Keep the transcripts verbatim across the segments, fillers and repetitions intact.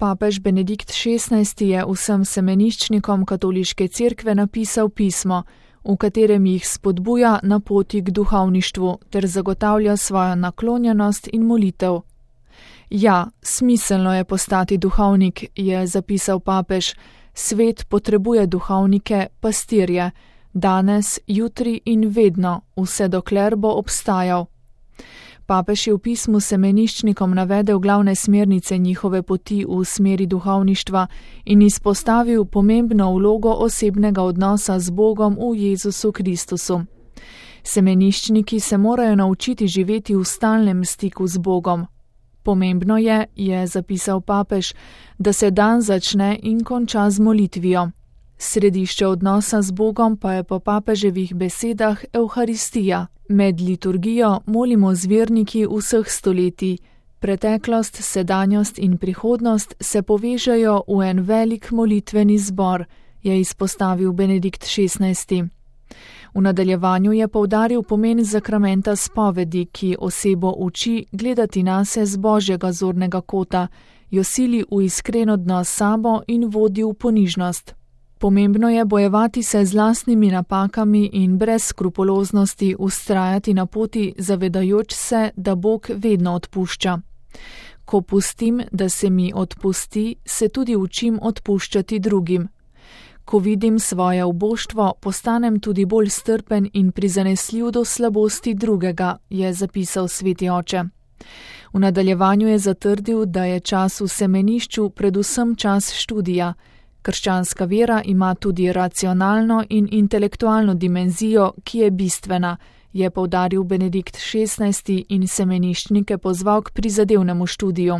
Papež Benedikt šestnajsti je vsem semeniščnikom katoliške cerkve napisal pismo, v katerem jih spodbuja na poti k duhovništvu ter zagotavlja svojo naklonjenost in molitev. Ja, smiselno je postati duhovnik, je zapisal papež. Svet potrebuje duhovnike, pastirje, danes, jutri in vedno, vse dokler bo obstajal. Papež je v pismu semeniščnikom navedel glavne smernice njihove poti v smeri duhovništva in izpostavil pomembno vlogo osebnega odnosa z Bogom v Jezusu Kristusu. Semeniščniki se morajo naučiti živeti v stalnem stiku z Bogom. Pomembno je, je zapisal papež, da se dan začne in konča z molitvijo. Središče odnosa z Bogom pa je po papeževih besedah Evharistija. Med liturgijo molimo z verniki vseh stoletij. Preteklost, sedanjost in prihodnost se povežejo v en velik molitveni zbor, je izpostavil Benedikt šestnajsti. V nadaljevanju je poudaril pomen zakramenta spovedi, ki osebo uči gledati nase z Božjega zornega kota, jo sili v iskren odnos s sabo in vodi v ponižnost. Pomembno je bojevati se z lastnimi napakami in brez skrupuloznosti vztrajati na poti, zavedajoč se, da Bog vedno odpušča. Ko pustim, da se mi odpusti, se tudi učim odpuščati drugim. Ko vidim svoje uboštvo, postanem tudi bolj strpen in prizanesljiv do slabosti drugega, je zapisal sveti oče. V nadaljevanju je zatrdil, da je čas v semenišču predvsem čas študija. Krščanska vera ima tudi racionalno in intelektualno dimenzijo, ki je bistvena, je poudaril Benedikt šestnajsti in semeniščnike pozval k prizadevnemu študiju.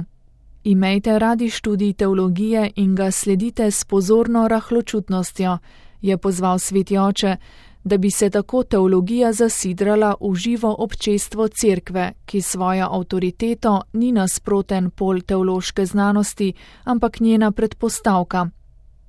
Imejte radi študij teologije in ga sledite s pozorno rahločutnostjo, je pozval sveti oče, da bi se tako teologija zasidrala v živo občestvo cerkve, ki svojo avtoriteto ni nasproten pol teološke znanosti, ampak njena predpostavka.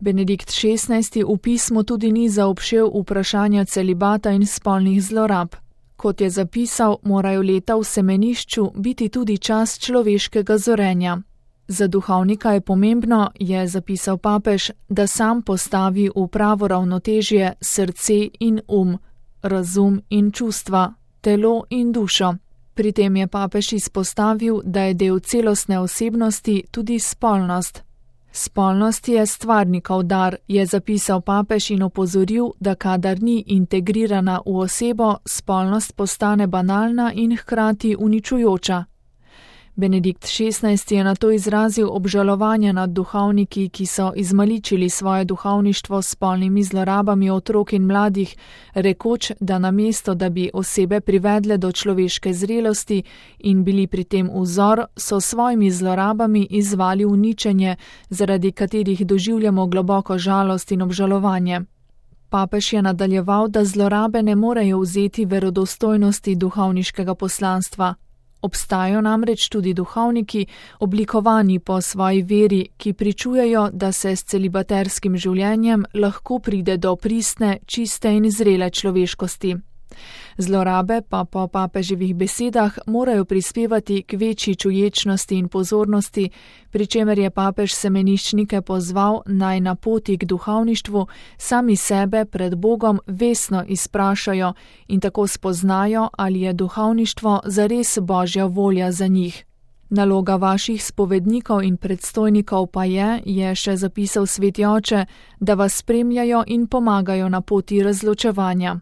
Benedikt šestnajsti v pismu tudi ni zaobšel vprašanja celibata in spolnih zlorab. Kot je zapisal, morajo leta v semenišču biti tudi čas človeškega zorenja. Za duhovnika je pomembno, je zapisal papež, da sam postavi v pravo ravnotežje srce in um, razum in čustva, telo in dušo. Pri tem je papež izpostavil, da je del celostne osebnosti tudi spolnost. Spolnost je stvarnikov dar, je zapisal papež in opozoril, da kadar ni integrirana v osebo, spolnost postane banalna in hkrati uničujoča. Benedikt šestnajsti je nato izrazil obžalovanje nad duhovniki, ki so izmaličili svoje duhovništvo s spolnimi zlorabami otrok in mladih, rekoč, da namesto, da bi osebe privedle do človeške zrelosti in bili pri tem vzor, so svojimi zlorabami izvali uničenje, zaradi katerih doživljamo globoko žalost in obžalovanje. Papež je nadaljeval, da zlorabe ne morejo vzeti verodostojnosti duhovniškega poslanstva. Obstajajo namreč tudi duhovniki, oblikovani po svoji veri, ki pričujejo, da se s celibaterskim življenjem lahko pride do pristne, čiste in zrele človeškosti. Zlorabe pa po papeževih besedah morajo prispevati k večji čuječnosti in pozornosti, pri čemer je papež semeniščnike pozval naj na poti k duhovništvu sami sebe pred Bogom vestno izprašajo in tako spoznajo, ali je duhovništvo zares Božja volja za njih. Naloga vaših spovednikov in predstojnikov pa je, je še zapisal sveti oče, da vas spremljajo in pomagajo na poti razločevanja.